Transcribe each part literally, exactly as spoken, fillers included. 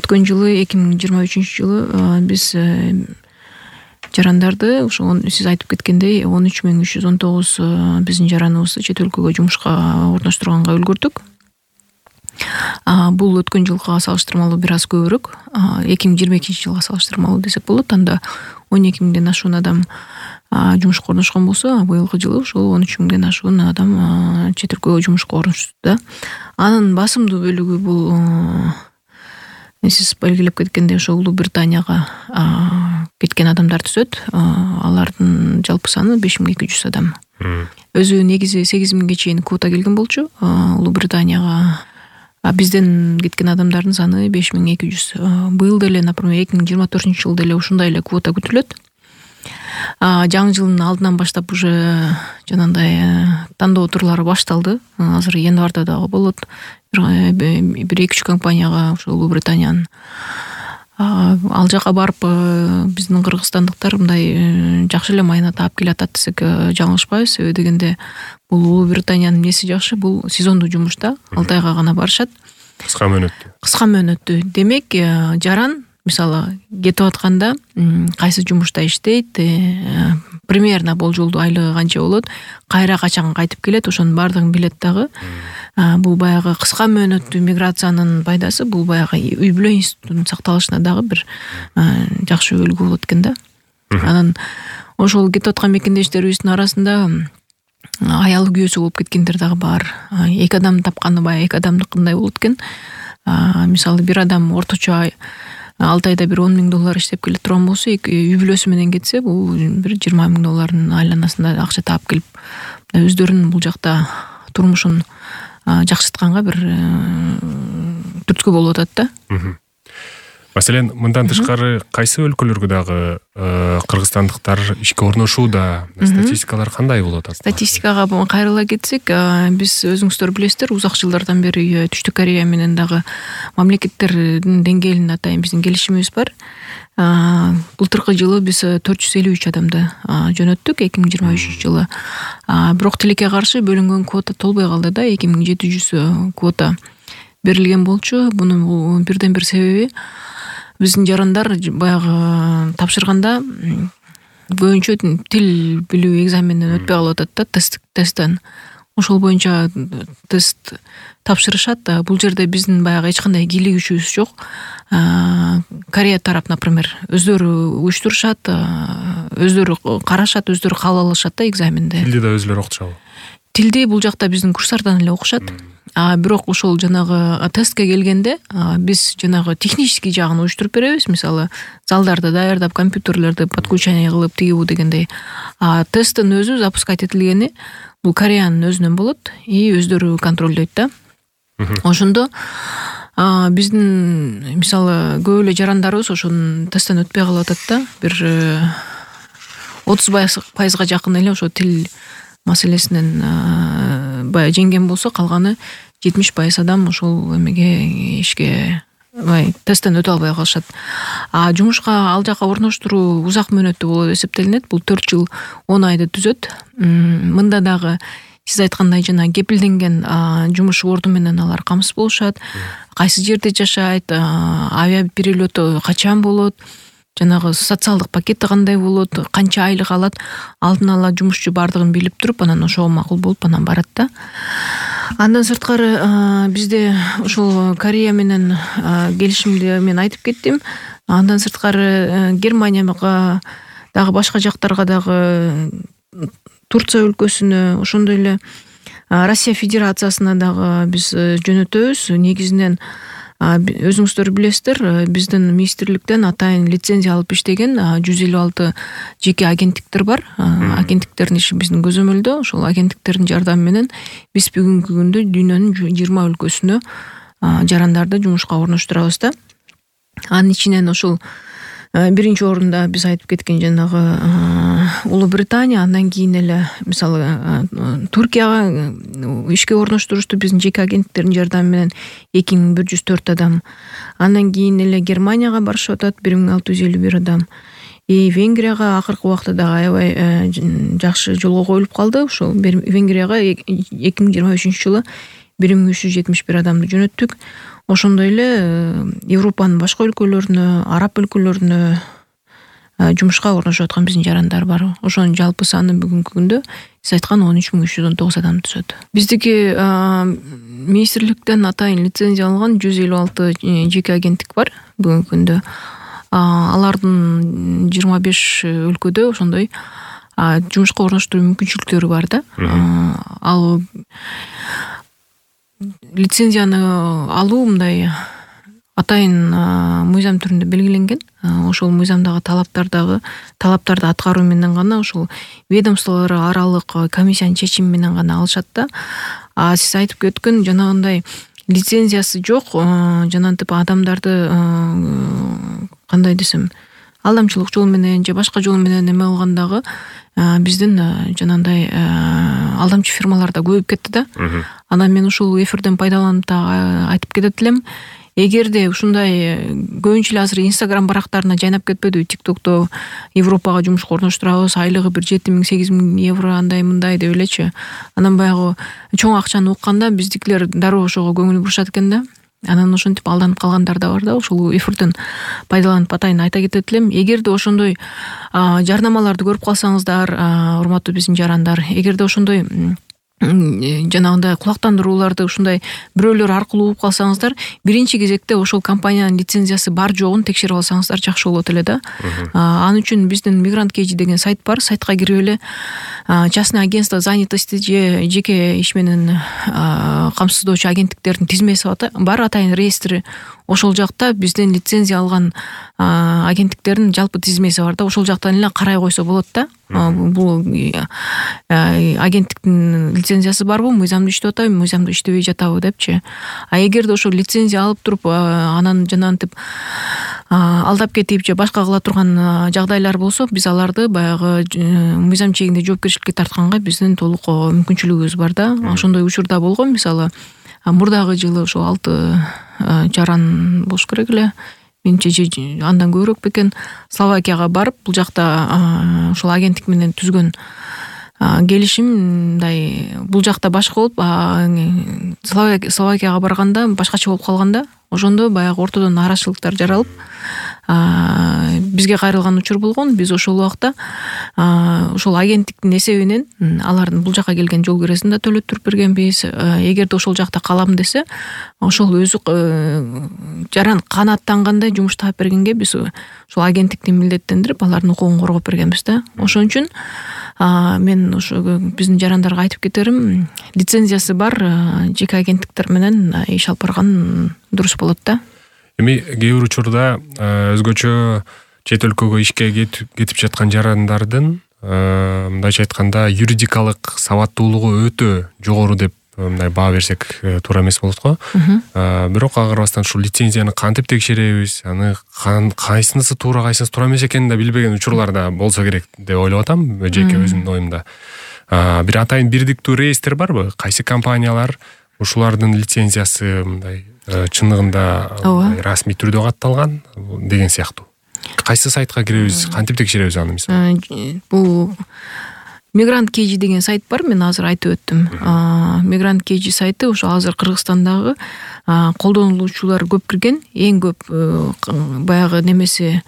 өткөн жылы эки миң жыйырма үчүнчү жылы биз жарандарды ошо сиз айтып кеткендей он үч миң үч жүз он тогуз биздин жараныбызды чет өлкөгө жумушка орноштурганга үлгүрдүк. Бул өткөн жылга салыштырмалуу бир аз көбүрөөк. эки миң жыйырма экинчи жылга салыштырмалуу десек болот. Анда он эки миңден ашуун адам жумушка орношкон болсо, быйылкы жылы ошол он үч миңден ашуун адам чет өлкөгө жумушка орношту да. Анын басымдуу бөлүгү бул сиз белгилеп кеткендей ошо Улуу Британияга кеткен адамдар түзөт. Алардын жалпы саны беш миң эки жүз адам. Өзү негизи сегиз миңге чейин квота келген болчу Улуу Британияга. Бизден кеткен адамдардын саны беш миң эки жүз. Быйыл деле, например, эки миң жыйырма төртүнчү жылы деле ушундай эле квота күтүлөт. Жаңы жылдын алдынан баштап уже жанагындай тандоо турлары башталды. Азыр январда дагы болот. Бир эки үч компанияга ошо Улуу Британиянын ал жака барып биздин кыргызстандыктар мындай жакшы эле майына таап келатат десек жаңылышпайбыз. Себеби дегенде бул Улуу Британиянын эмеси жакшы, бул сезондуу жумуш да, алты айга гана барышат. Кыска мөөнөттүү. Кыска мөөнөттүү. Демек, жаран мисалы кетип атканда кайсы жумушта иштейт, примерно болжолдуу айлыгы канча болот, кайра качан кайтып келет, ошонун баардыгын билет дагы. Бул баягы кыска мөөнөттүү миграциянын пайдасы, бул баягы үй бүлө институтунун сакталышына дагы бир жакшы үлгү болот экен да. Анан ошол кетип аткан мекендештерибиздин арасында аялы күйөөсү болуп кеткендер дагы бар. Эки адам тапканы баягы эки адамдыкындай болот экен. Мисалы бир адам орточо алты айда бир он миң доллар иштеп келе турган болсо, үй бүлөсү менен кетсе, бул бир жыйырма миң доллардын айланасында акча таап келип, өздөрүнүн бул жакта турмушун жакшыртканга бир түрткү болуп атат да. Маселен, мындан тышкары кайсы өлкөлөргө дагы кыргызстандыктар ишке орношууда? Статистикалар кандай болуп атат? Статистикага кайрыла кетсек, биз өзүңүздөр билесиздер, узак жылдардан бери Түштүк Корея менен дагы мамлекеттердин деңгээлин атайын биздин келишимибиз бар. Былтыркы жылы биз төрт жүз элүү үч адамды жөнөттүк, эки миң жыйырма үчүнчү жылы. Бирок тилекке каршы бөлүнгөн квота толбой калды да, эки миң жети жүз квота берилген болчу. Бунун бирден бир себеби биздин жарандар баягы тапшырганда боюнча тил билүү экзаменинен өтпөй калып атат да, тест тесттен. Ошол боюнча тест тапшырышат. Бул жерде биздин баягы эч кандай кийлик күчүбүз жок. Корея тарап, например, өздөрү уюштурушат, өздөрү карашат, өздөрү кабыл алышат да экзаменди. Тилди да өзүлөрү окутушабы? Тилди бул жакта биздин курстардан эле окушат. Бирок ошол жанагы тестке келгенде биз жанагы технический жагын уюштуруп беребиз. Мисалы, залдарды даярдап, компьютерлерди подключение кылып, тиги бу дегендей. Тесттин өзү запускать этилгени бул Кореянын өзүнөн болот и өздөрү контролдойт да. Ошондо биздин мисалы көп эле жарандарыбыз ошонун тесттен өтпөй калып атат да. Бир отуз пайызга жакын эле ошо тил маселесинен бая жеңген болсо, калганы жетимиш пайыз адам ошол эмеге ишке бай тесттен өтө албай калышат. А жумушка ал жака орноштуруу узак мөөнөттүү болуп эсептелинет. Бул төрт жыл он айды түзөт. Мында дагы сиз айткандай жана кепилденген жумуш орду менен алар камсыз болушат. Кайсы жерде жашайт, авиа перелету качан болот, жанагы социалдык пакети кандай болот, канча айлык алат, алдын ала жумушчу бардыгын билип туруп, анан ошого макул болуп анан барат да. Андан сырткары бизде ошол Корея менен келишимди мен айтып кеттим. Андан сырткары Германияга дагы башка жактарга дагы, Турция өлкөсүнө, ошондой эле Россия Федерациясына дагы биз жөнөтөбүз. Негизинен өзүңүздөр билесиздер, биздин министрликтен атайын лицензия алып иштеген жүз элүү алты жеке агенттиктер бар. Агенттиктердин иши биздин көзөмөлдө. Ошол агенттиктердин жардамы менен биз бүгүнкү күндө дүйнөнүн жыйырма өлкөсүнө жарандарды жумушка орноштурабыз да. Анын ичинен ошол биринчи орунда биз айтып кеткен жанагы Улуу Британия, андан кийин эле мисалы Туркияга ишке орноштурушту биздин жеке агенттиктердин жардамы менен эки миң бир жүз төрт адам. Андан кийин эле Германияга барышып атат бир миң алты жүз элүү бир адам. И Венгрияга акыркы убакта дагы аябай жакшы жолго коюлуп калды. Ошол Венгрияга эки миң жыйырма үчүнчү жылы бир миң үч жүз жетимиш бир адамды жөнөттүк. Ошондой эле Европанын башка өлкөлөрүнө, араб өлкөлөрүнө жумушка орношуп аткан биздин жарандар бар. Ошонун жалпы саны бүгүнкү күндө сиз айткан он үч миң үч жүз он тогуз адам түзөт. Биздики министрликтен атайын лицензия алган жүз элүү алты жеке агенттик бар бүгүнкү күндө. Алардын жыйырма беш өлкөдө ошондой жумушка орноштуруу мүмкүнчүлүктөрү бар да. Ал лицензияны алуу мындай атайын мыйзам түрүндө белгиленген. Ошол мыйзамдагы талаптардагы талаптарды аткаруу менен гана ошол ведомстволор аралык комиссиянын чечими менен гана алышат да. А сиз айтып өткөн жанагындай лицензиясы жок, жанагынтип адамдарды кандай десем, алдамчылык жол менен же башка жол менен эме кылгандагы биздин жанагындай алдамчы фирмалар да көбөйүп кетти да. Анан мен ушул эфирден пайдаланып да айтып кетет элем. Эгерде ушундай көбүнчө эле азыр Instagram барактарына жайнап кетпедиби, TikTokто Европага жумушка орноштурабыз, айлыгы бир жети миң сегиз миң евро андай мындай деп элечи. Анан баягы чоң акчаны укканда биздикилер дароо ошого көңүл бурушат экен да. Анан ошентип алданып калгандар да бар да. Ошол эфирден пайдаланып атайын айта кетет элем. Эгерде ошондой жарнамаларды көрүп калсаңыздар, урматтуу биздин жарандар, эгерде ошондой жанагындай кулактандырууларды ушундай бирөөлөр аркылуу угуп калсаңыздар, биринчи кезекте ошол компаниянын лицензиясы бар жогун текшерип алсаңыздар жакшы болот эле да. Ал үчүн биздин Migrant Кейжи деген сайт бар. Сайтка кирип эле частный агентство занятости же жеке иш менен камсыздоочу агенттиктердин тизмеси бар, атайын реестри. Ошол жакта биздин лицензия алган агенттиктердин жалпы тизмеси бар да. Ошол жактан эле карай койсо болот да. Бул агенттиктин лицензиясы барбы, мыйзамдуу иштеп атабы, мыйзамдуу иштебей жатабы депчи. А эгерде ошол лицензия алып туруп анан жанагынтип алдап кетип же башка кыла турган жагдайлар болсо, биз аларды баягы мыйзам чегинде жоопкерчиликке тартканга биздин толук мүмкүнчүлүгүбүз бар да. Ошондой учурда болгон. Мисалы мурдагы жылы ошо алты жаран болуш керек эле. Менче андан көбүрөөк бекен Словакияга барып, бул жакта ошол агенттик менен түзгөн келишим мындай бул жакта башка болуп, Словакияга барганда башкача болуп калганда, ошондо баягы ортодон нараачылыктар жаралып, бизге кайрылган учур болгон. Биз ошол убакта ошол агенттиктин эсебинен алардын бул жака келген жол киресин да төлөттүрүп бергенбиз. Эгерде ошол жакта калам десе, ошол өзү жаран канааттангандай жумуш таап бергенге биз ошол агенттикти милдеттендирип, алардын укугун коргоп бергенбиз да. Ошон үчүн мен ошо биздин жарандарга айтып кетерим, лицензиясы бар жеке агенттиктер менен иш алып барган дурус болот да. Эми кээ бир учурда өзгөчө чет өлкөгө ишке кетип жаткан жарандардын мындайча айтканда юридикалык сабаттуулугу өтө жогору деп мындай баа берсек туура эмес болот го. Бирок ага карабастан ушул лицензияны кантип текшеребиз, аны кайсынысы туура, кайсынысы туура эмес экенин да билбеген учурлар да болсо керек деп ойлоп атам, жеке өзүмдүн оюмда. Бир атайын бирдиктүү реестр барбы? Кайсы компаниялар ушулардын лицензиясы мындай чындыгында расмий түрдө катталган деген сыяктуу. Кайсы сайтка киребиз, кантип текшеребиз аны мисалы? Бул Migrant Кейжи деген сайт бар, мен азыр айтып өттүм. Migrant Кейжи сайты ошо азыр Кыргызстандагы колдонулуучулар көп кирген, эң көп баягы немеси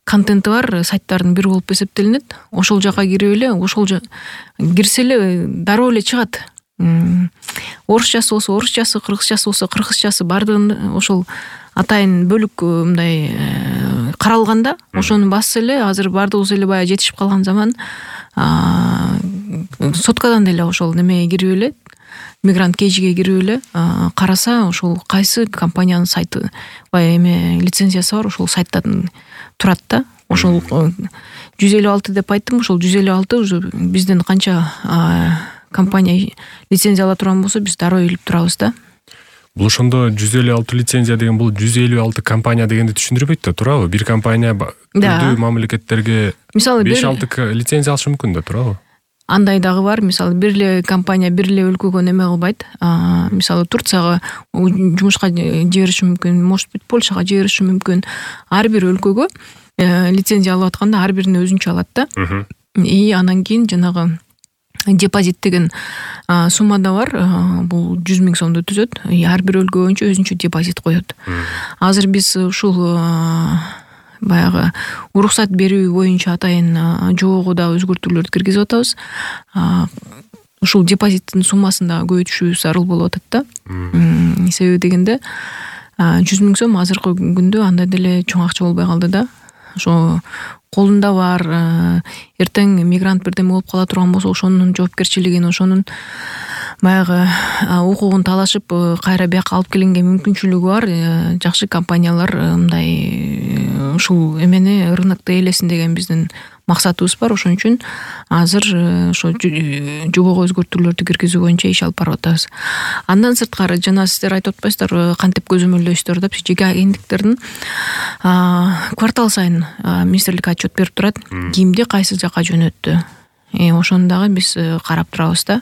контенти бар сайттардын бири болуп эсептелинет. Ошол жака кирип эле, ошол кирсе эле дароо эле чыгат. Орусчасы болсо орусчасы, кыргызчасы болсо кыргызчасы бардыгын ошол атайын бөлүк мындай каралганда, ошону басса эле азыр бардыгыбыз эле баягы жетишип калган заман соткадан эле ошол немеге кирип эле, Migrant Кейжиге кирип эле караса, ошол кайсы компаниянын сайты баягы эме лицензиясы бар, ошол сайттан турат да. Ошол жүз элүү алты деп айттым, ошол жүз элүү алты уже биздин канча компания лицензия ала турган болсо, биз дароо илип турабыз да. Бул ошондо жүз элүү алты лицензия деген бул жүз элүү алты компания дегенди түшүндүрбөйт да, туурабы? Бир компания түрдүү мамлекеттерге мисалы беш алты лицензия алышы мүмкүн да, туурабы? Андай дагы бар, мисалы бир эле компания бир эле өлкөгө неме кылбайт. Мисалы Турцияга жумушка жибериши мүмкүн, может быть Польшага жибериши мүмкүн. Ар бир өлкөгө лицензия алып атканда ар бирин өзүнчө алат да. И анан кийин жанагы депозит деген сумма да бар. Бул жүз миң сомду түзөт. Ар бир өлкө боюнча өзүнчө депозит коет. Азыр биз ушул баягы уруксат берүү боюнча атайын жобого да өзгөртүүлөрдү киргизип атабыз. Ушул депозиттин суммасын да көбөйтүшүбүз зарыл болуп атат да. Себеби дегенде жүз миң сом азыркы күндө андай деле чоң акча болбой калды да. Ошо колунда бар, эртең мигрант бирдеме болуп кала турган болсо ошонун жоопкерчилигин, ошонун баягы укугун талашып кайра бияка алып келинге мүмкүнчүлүгү бар жакшы компаниялар мындай ушул эмени рынокто ээлесин деген биздин максатыбыз бар. Ошон үчүн азыр ошо жобого өзгөртүүлөрдү киргизүү боюнча иш алып барып атабыз. Андан сырткары жана сиздер айтып атпайсыздарбы кантип көзөмөлдөйсүздөр деп, жеке агенттиктердин квартал сайын министрлик отчет берип турат. Кимди кайсы жака жөнөттү. Ошону дагы биз карап турабыз да.